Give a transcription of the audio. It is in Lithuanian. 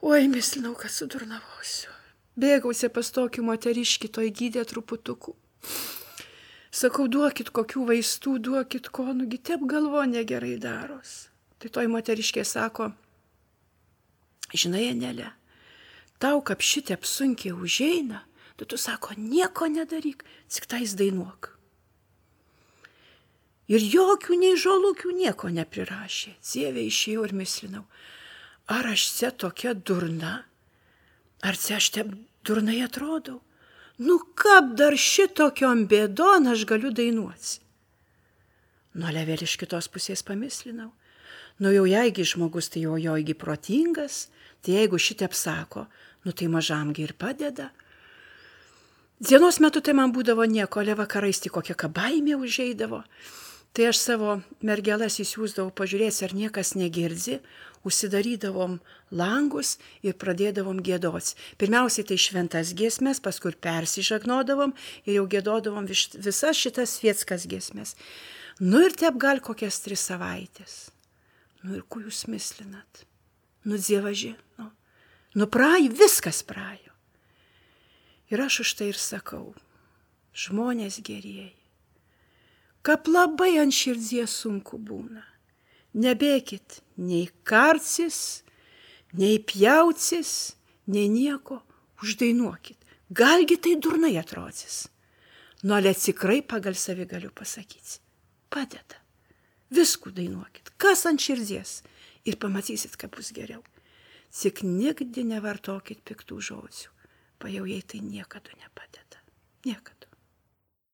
Oi, mislinau, kad sudurnavausiu. Bėgausi pas tokį moteriškį, toj gydė truputukų. Sakau, duokit kokių vaistų, duokit ko, nugi taip galvo negerai daros. Tai toj moteriškė sako, žinai, Anelė, tau kaip šitep sunkiai užeina, tu sako, nieko nedaryk, tik tais dainuok. Ir jokių nei žolukių nieko neprirašė. Dieve, išėjau ir mislinau, ar aš čia tokia durna, ar čia aš taip durnai atrodau? Nu, kaip dar šitokiom bėdon aš galiu dainuoti? Nu, ale vėl iš kitos pusės pamislinau. Nu, jau jeigu žmogus, tai jau joigi protingas, tai jeigu šitep sako, nu, tai mažamgi ir padeda. Dienos metu tai man būdavo nieko, ale vakarais tik kokia baimė užeidavo. Tai aš savo mergelas įsiūsdavau pažiūrėti, ar niekas negirdi, užsidarydavom langus ir pradėdavom gėdoti. Pirmiausiai tai šventas giesmes, paskui persižagnodavom ir jau gėdodavom visas šitas svietskas giesmes. Nu ir taip gal kokias 3 savaitės. Nu ir kuo jūs mislinat? Nu, dievaži, nu praėjo, viskas praėjo. Ir aš už tai ir sakau, žmonės gerieji, kaip labai ant širdies sunku būna. Nebėkit nei karcis, nei pjaucis, nei nieko, uždainuokit. Galgi tai durnai atrodys. Nu, ale tikrai pagal savi galiu pasakyti. Padeda. Viskų dainuokit. Kas ant širdies. Ir pamatysit, kaip bus geriau. Tik nigdi nevartokit piktų žodžių. Pajau, jei tai niekada nepadeda. Niekada.